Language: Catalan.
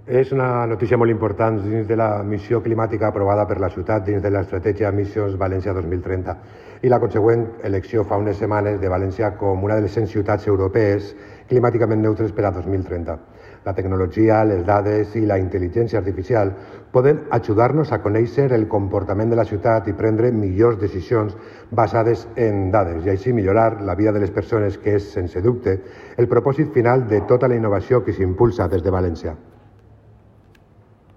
És una notícia molt important dins de la missió climàtica aprovada per la ciutat dins de l'estratègia Missions València 2030 i la consegüent elecció fa unes setmanes de València com una de les 100 ciutats europees climàticament neutres per a 2030. La tecnologia, les dades i la intel·ligència artificial poden ajudar-nos a conèixer el comportament de la ciutat i prendre millors decisions basades en dades i així millorar la vida de les persones, que és, sense dubte, el propòsit final de tota la innovació que s'impulsa des de València.